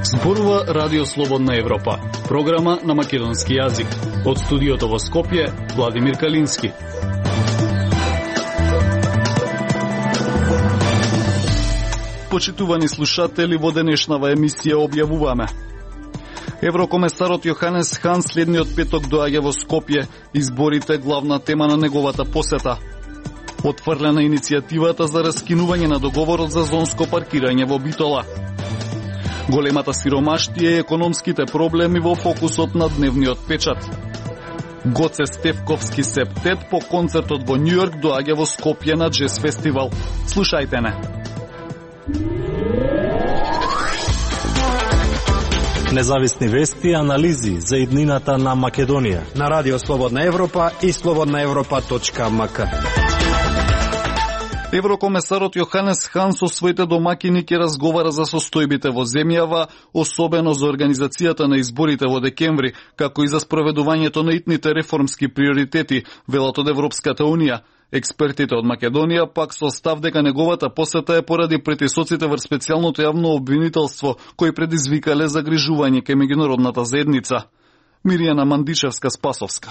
Зборува Радио Слободна Европа, програма на македонски јазик. Од студиото во Скопје, Владимир Калински. Почитувани слушатели, во денешнава емисија објавуваме: Еврокомесарот Јоханес Хан следниот петок доаѓа во Скопје, изборите главна тема на неговата посета. Отфрлена иницијативата за раскинување на договорот за зонско паркирање во Битола. Големата сиромаштија и економските проблеми во фокусот на дневниот печат. Гоце Стефковски септет по концертот во Њујорк доаѓа во Скопје на Джез фестивал. Слушајте не. Независни вести и анализи за иднината на Македонија на Радио Слободна Европа и slobodnaevropa.mk. Еврокомесарот Јоханес Хан со своите домакини ќе разговара за состојбите во земјава, особено за организацијата на изборите во декември, како и за спроведувањето на итните реформски приоритети, велат од Европската Унија. Експертите од Македонија пак со став дека неговата посета е поради притисоците врз специјалното јавно обвинителство, кои предизвикале загрижување кај меѓународната заедница. Миријана Мандичевска-Спасовска.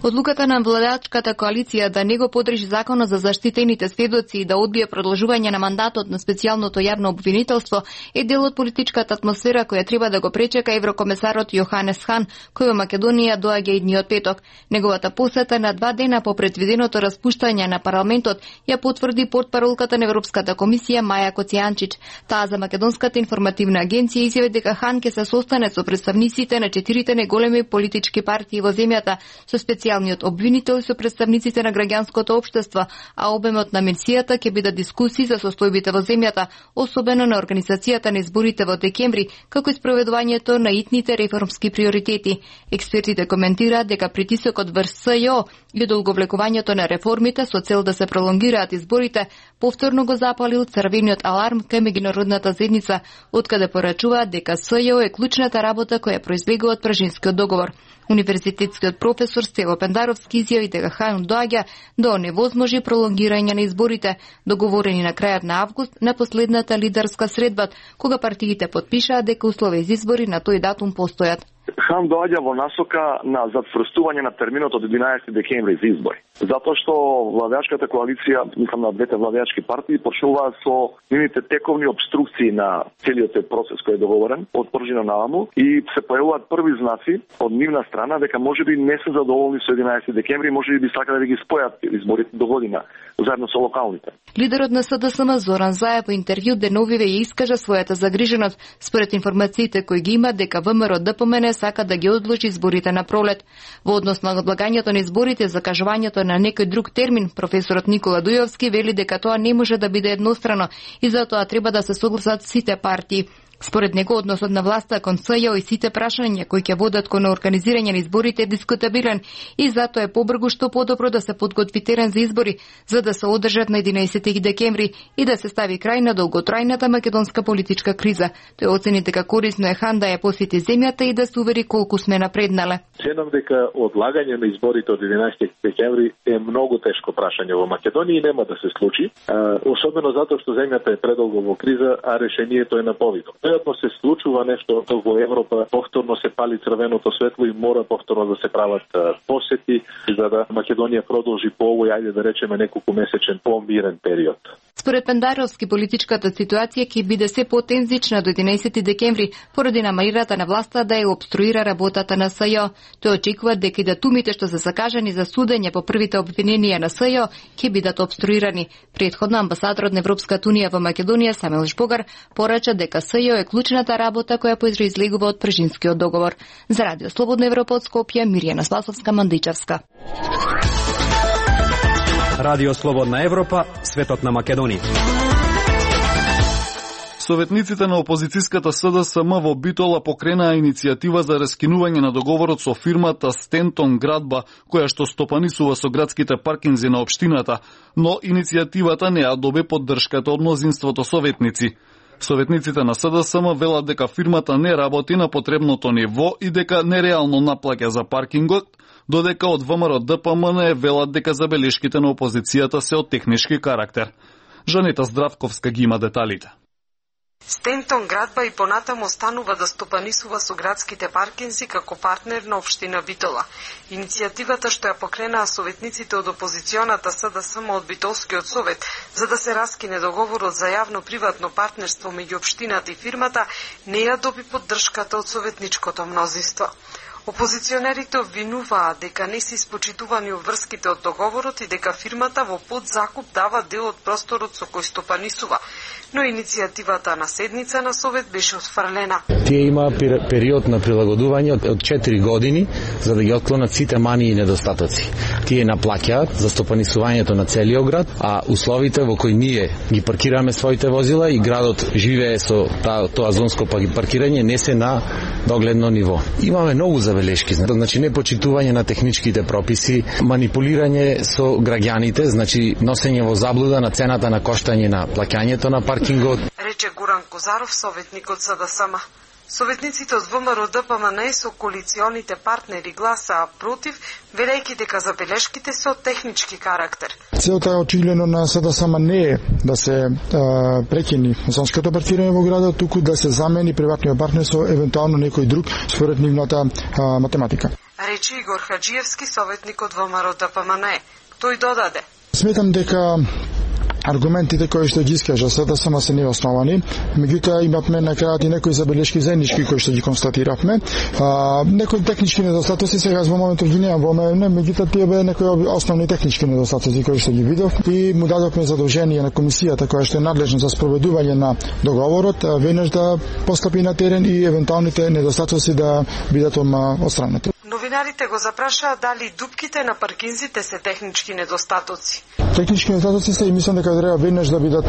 Одлуката на владачката коалиција да не го подржи законот за заштитените сведоци и да одбие продолжување на мандатот на специјалното јавно обвинителство е дел од политичката атмосфера која треба да го пречека еврокомесарот Јоханес Хан, кој во Македонија доаѓа идниот петок. Неговата посета на 2 дена по предвиденото распуштање на парламентот ја потврди портпаролката на Европската комисија Маја Коцијанчич. Таа за Македонската информативна агенција изјави дека Хан ќе се состане со представниците на 4 неголеми политички партии во земјата, со специјалниот обвинител и со представниците на граѓанското општество, а обемот на мисијата ќе биде дискусии за состојбите во земјата, особено на организацијата на изборите во декември, како и спроведувањето на итните реформски приоритети. Експертите коментираат дека притисокот врз СЈО и долговлекувањето на реформите со цел да се пролонгираат изборите повторно го запалил црвениот аларм кај меѓународната заедница, откаде порачуваат дека СЈО е клучната работа која произлегува од Пражинскиот договор. Универзитетскиот професор Стево Пендаровски изјави дека Хан доаѓа да оневозможи пролонгирање на изборите, договорени на крајот на август на последната лидерска средба, кога партиите потпишаа дека услови за избори на тој датум постојат. Хан доаѓа во насока на затврстување на терминот од 11 декември за избори. Затоа што владеачката коалиција, мислам на двете владеачки партии, почнуваат со нивните тековни обструкции на целиот процес кој е договорен од пржина наваму и се појавуваат први знаци од нивна страна дека можеби не се задоволни со 11 декември, можеби би сакале да ги спојат изборите до година заедно со локалните. Лидерот на СДСМ Зоран Заев по интервју деновиве ја искажа својата загриженост според информациите кои ги има дека ВМРО ДПМН сака да ги одложи изборите на пролет. Во однос на одлагањето на изборите, закажувањето на некој друг термин, професорот Никола Дујовски вели дека тоа не може да биде еднострано и затоа треба да се согласат сите партии. Според него, односот на власта кон СЈО и сите прашања кои ќе водат кон организирање на изборите е дискутабилен и затоа е побргу што подобро да се подготви терен за избори, за да се одржат на 11 декември и да се стави крај на долготрајната македонска политичка криза. Тој оцени дека корисно е Хан да ја посети земјата и да се увери колку сме напреднале. Ценам дека одлагање на изборите од 11 декември е многу тешко прашање во Македонија и нема да се случи, особено затоа што земјата е предолго во криза, а решението е на повидно. Веројатно се случува нешто во Европа, повторно се пали црвеното светло и мора повторно да се прават посети за да Македонија продолжи по овој, ајде да речеме, неколку месечен помирен период. Според Пендаровски, политичката ситуација ќе биде се потензична до 11 декември поради намерата на власта да ја обструира работата на СЈО. Тој очекува дека и датумите што се закажани за судење по првите обвиненија на СЈО ќе бидат обструирани. Претходно амбасадорот на Европската Унија во Македонија Самил Жбогар порача дека СЈО е клучната работа која произлегува од Пражинскиот договор. За Радио Слободна Европа од Скопје, Миријана Спасовска-Мандичевска. Радио Слободна Европа, светот на Македонија. Советниците на опозицијската СДСМ во Битола покренаа иницијатива за раскинување на договорот со фирмата Стентон Градба, која што стопанисува со градските паркинзи на општината, но иницијативата не ја добе поддршката од мнозинството советници. Советниците на СДСМ велат дека фирмата не работи на потребното ниво и дека нереално наплаќа за паркингот, додека од ВМРО ДПМН велат дека забелешките на опозицијата се од технички карактер. Жанета Здравковска ги има деталите. Стентон градба и понатаму останува да стопанисува со градските паркинзи како партнер на општина Битола. Иницијативата што ја покренаа советниците од опозиционата СДСМ од Битолскиот совет за да се раскине договорот за јавно-приватно партнерство меѓу општината и фирмата не ја доби поддршката од советничкото мнозинство. Опозиционерите обвинуваат дека не се испочитувани обврските од договорот и дека фирмата во подзакуп дава дел од просторот со кој стопанисува, но иницијативата на седница на совет беше отфрлена. Тие има период на прилагодување од 4 години за да ги отклонат сите мани и недостатоци. Тие наплаќаат за стопанисувањето на целиот град, а условите во кои ние ги паркираме своите возила и градот живее со тоа зонско паркирање не се на догледно ниво. Имаме многу забелешки, значи непочитување на техничките прописи, манипулирање со граѓаните, значи носење во заблуда на цената на коштање на плаќањето на паркингот. Рече Гуран Козаров, советник од СДСМ. Советниците од ВМРО ДПМН со коалиционите партнери гласаа против, велејќи дека забелешките се од технички карактер. Целта е очигледно на СДСМ не е да се прекини зонското паркирање во градот, туку да се замени приватниот партнер со евентуално некој друг според нивната математика. Рече Игор Хаджиевски, советник од ВМРО ДПМН. Тој додаде: Сметам дека аргументите кои што ги искажа СДСМ се неосновани, меѓутоа имавме на крајот и некои забелешки заеднички кои што ги констатиравме. Некои технички недостатоци сега во моментот ги немам во мене, меѓутоа тие беа некои основни технички недостатоци кои што ги видов и му дадовме задолжение на комисијата која што е надлежна за спроведување на договорот, веднаш да постапи на терен и евентуалните недостатоци да бидат отстранети. Новинарите го запрашаа дали дупките на паркинзите се технички недостатоци. Технички недостатоци се и мислам дека треба веднаш да бидат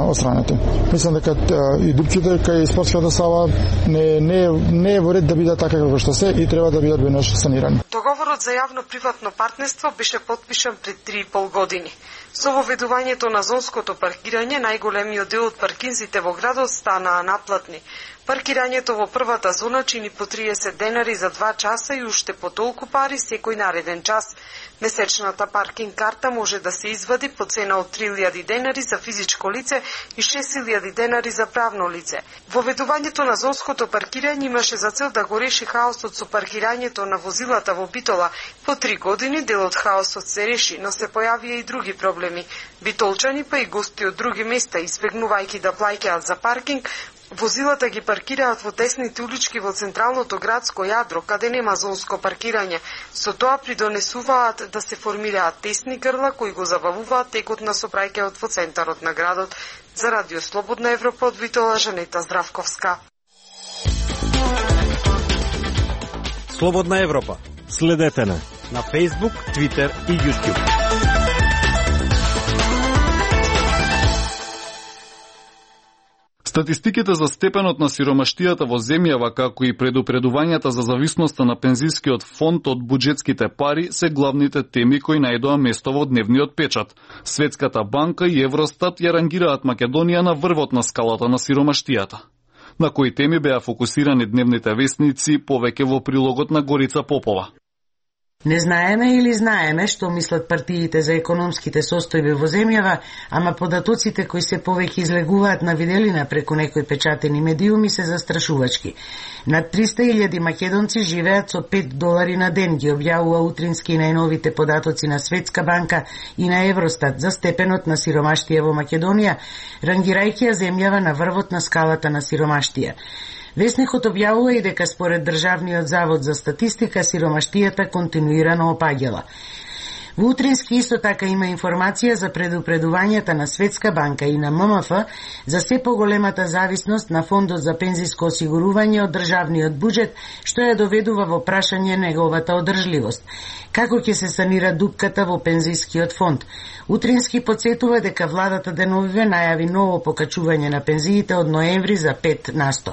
отстранети. Мислам дека и дупките кај спортската сала не е во ред да бидат така како што се и треба да бидат веднаш санирани. Договорот за јавно-приватно партнерство беше потпишан пред 3,5 години. Со воведувањето на зонското паркирање, најголемиот дел од паркинзите во градот станаа наплатни. Паркирањето во првата зона чини по 30 денари за 2 часа и уште по толку пари секој нареден час. Месечната паркинг карта може да се извади по цена од 3000 денари за физичко лице и 6000 денари за правно лице. Воведувањето на зонското паркирање имаше за цел да го реши хаосот со паркирањето на возилата во Битола. По 3 години дел од хаосот се реши, но се појавија и други проблеми. Битолчани па и гости од други места, избегнувајќи да плаќаат за паркинг, возилата ги паркираат во тесните улички во централното градско јадро, каде нема зонско паркирање. Со тоа придонесуваат да се формираат тесни грла кои го забавуваат текот на сообраќајот во центарот на градот. За Радио Слободна Европа од Битола, Жанета Здравковска. Слободна Европа. Следете на Facebook, Twitter и YouTube. Статистиките за степенот на сиромаштијата во земјава, како и предупредувањата за зависноста на пензискиот фонд од буџетските пари се главните теми кои најдоа место во дневниот печат. Светската банка и Евростат ја рангираат Македонија на врвот на скалата на сиромаштијата. На кои теми беа фокусирани дневните весници, повеќе во прилогот на Горица Попова. Не знаеме или знаеме што мислат партиите за економските состојби во земјава, ама податоците кои се повеќе излегуваат на виделина преку некои печатени медиуми се застрашувачки. Над 300.000 македонци живеат со $5 на ден, ги објавува утрински најновите податоци на Светска банка и на Евростат за степенот на сиромаштија во Македонија, рангирајќи ја земјава на врвот на скалата на сиромаштија. Весникот објавува и дека според Државниот завод за статистика сиромаштијата континуирано опаѓала. Во утрински исто така има информација за предупредувањата на Светска банка и на ММФ за се поголемата зависност на фондот за пензиско осигурување од државниот буџет, што ја доведува во прашање неговата одржливост. Како ќе се санира дупката во пензискиот фонд? Утрински подсетува дека владата деновиве најави ново покачување на пензиите од ноември за 5%.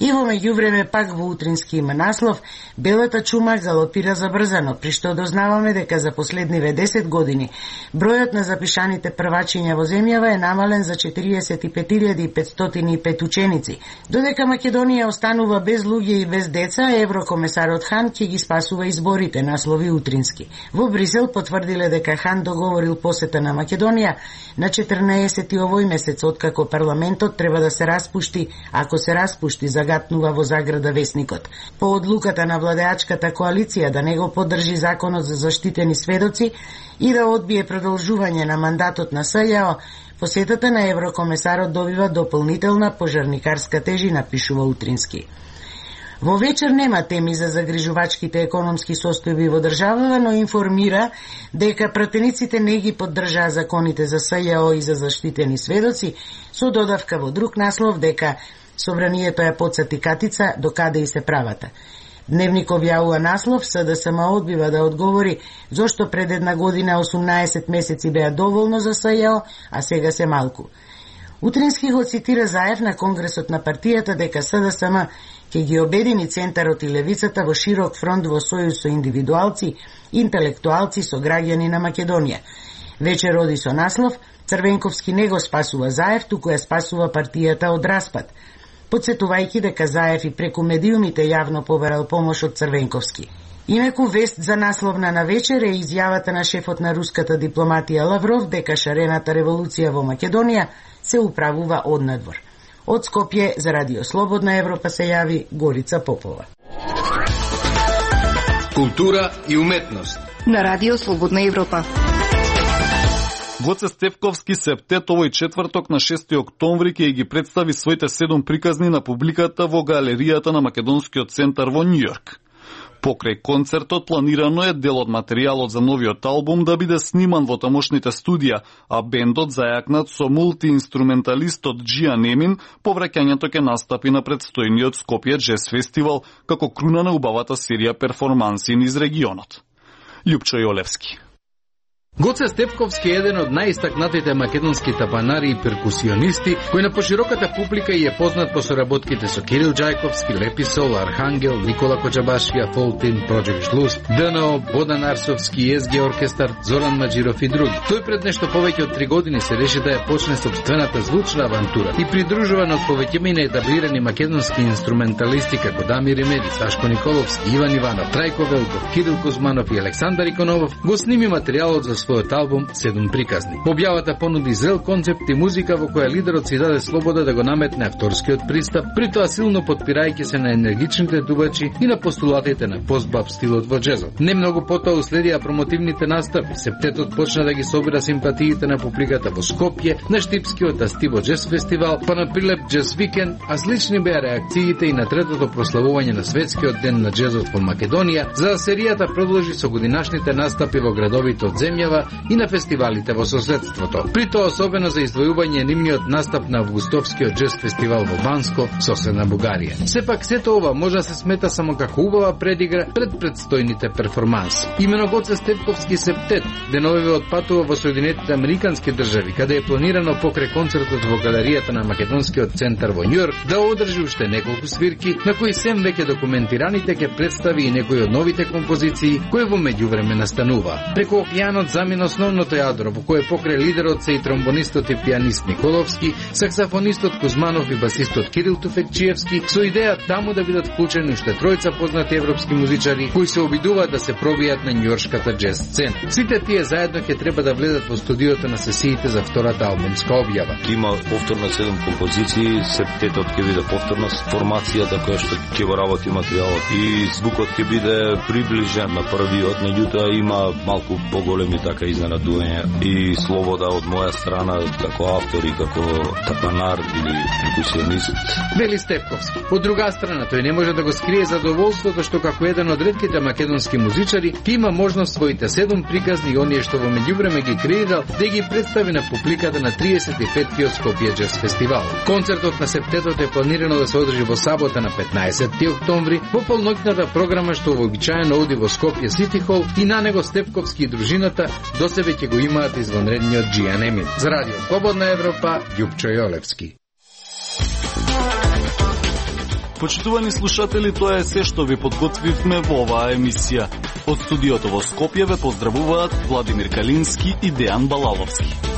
И во меѓувреме пак во утрински има наслов «Белата чума галопира забрзано», при што дознаваме дека за последниве 10 години бројот на запишаните првачиња во земјава е намален за 45.505 ученици. Додека Македонија останува без луѓе и без деца, еврокомесарот Хан ќе ги спасува изборите, наслови утрински. Во Брисел потврдиле дека Хан договорил посета на Македонија на 14 овој месец, откако парламентот треба да се распушти, ако се распушти, загатнува во заграда весникот. По одлуката на владеачката коалиција да не го поддржи законот за заштитени сведоци и да одбие продолжување на мандатот на СЈО, посетата на еврокомесарот добива дополнителна пожарникарска тежина, пишува утрински. Во вечер нема теми за загрижувачките економски состојби во државава, но информира дека пратениците не ги поддржаа законите за СЈО и за заштитени сведоци, со додавка во друг наслов дека собранието ја потсати катица докаде и се правата. Дневник објавува наслов СДСМ одбива да одговори зошто пред една година 18 месеци беа доволно за СЈО, а сега се малку. Утрински го цитира Заев на Конгресот на партијата дека СДСМ ќе ги обедини центарот и левицата во широк фронт во сојуз со индивидуалци, интелектуалци, со граѓани на Македонија. Вечер оди со наслов Црвенковски не го спасува Заев, туку ја спасува партијата од распад, подсетувајќи дека Заев и преку медиумите јавно побарал помош од Црвенковски. Инаку вест за насловна на вечер е изјавата на шефот на руската дипломатија Лавров дека шарената револуција во Македонија се управува однадвор. Од Скопје за Радио Слободна Европа се јави Горица Попова. Култура и уметност на Радио Слободна Европа. Гоце Стефковски септет овој четврток на 6 октомври ќе ги представи своите 7 приказни на публиката во галеријата на Македонскиот центар во Њујорк. Покрај концертот планирано е дел од материјалот за новиот албум да биде сниман во тамошните студија, а бендот зајакнат со мултиинструменталистот Джиан Емин по враќањето ќе настапи на предстојниот Скопје Джез фестивал како круна на убавата серија перформанси низ регионот. Љупчо Јолевски. Гоце Стефковски е еден од најистакнатите македонски тапанари и перкусионисти, кој на пошироката публика и е познат по соработките со Кирил Џајковски, Леписол, Архангел, Никола Коџабашија, Фолтин, Project Žlust, ДНО, Бодан Арсовски, ЕСГ оркестар, Зоран Маџиров и други. Тој пред нешто повеќе од 3 години се реши да ја почне собствената звучна авантура и придружуван од повеќето етаблирани македонски инструменталисти како Дамир Ремеди, Сашко Николовски, Иван Иванов, Трајко Велков, Кирил Кузманов и Александар Иконовов, го сними материјалот за својот албум 7 приказни. Објавата понуди зрел концепт и музика во која лидерот си даде слобода да го наметне авторскиот пристап, притоа силно подпирајќи се на енергичните дубачи и на постулатите на постбаб стилот во джезот. Не многу потоа уследија промотивните настапи. Септетот почна да ги собира симпатиите на публиката во Скопје, на Штипскиот Астиво Джез фестивал, па на Прилеп Джез викенд, а слични беа реакциите и на третото прославување на светскиот ден на джезот во Македонија, за серијата продолжи со годинашните настапи во градовите од земјава и на фестивалите во соседството. При тоа особено за издвојување нивниот настап на августовскиот джез фестивал во Банско, соседна Бугарија. Сепак сето ова може да се смета само како убава предигра пред предстојните перформанси. Имено Гоце Стефковски септет деновиве отпатува во Соединетите Американски држави, каде е планирано покрај концертот во галеријата на Македонскиот центар во Њујорк да одржи уште неколку свирки, на кои сем веќе документираните ќе представи и некои од новите композиции кои во меѓувреме настанува. Преку океанот замина основното јадро, во кое покрај лидерот се и тромбонистот и пианист Николовски, саксофонистот Кузманов и басистот Кирил Туфекчиевски, со идеја таму да бидат вклучени уште тројца познати европски музичари кои се обидуваат да се пробијат на њујоршката джез сцена. Сите тие заедно ќе треба да влезат во студиото на сесиите за втората албумска објава. Има повторно 7 композиции, септетот ќе биде повторна формацијата која што ќе го работи материјалот и звукот ќе биде приближен на првиот, меѓутоа има малку поголеми така изненадување и слобода од моја страна како автор и како тапанар или перкусионист. Вели Стефковски. Од друга страна, тој не може да го скрие задоволството што како еден од ретките македонски музичари ќе има можност своите 7 приказни и оние што во меѓувреме ги креирал да ги представи на публиката на 35-тиот Скопје Джез фестивал. Концертот на септетот е планирано да се одржи во сабота на 15 октомври во полноќната програма што вообичаено оди во Скопје Сити Хол и на него Стефковски и дружината до себе ќе го имаат извонредниот Джиан Емин. За Радио Слободна Европа, Љупчо Јолевски. Почитувани слушатели, тоа е се што ви подготвивме во оваа емисија. Од студиото во Скопје ве поздравуваат Владимир Калински и Дејан Балаловски.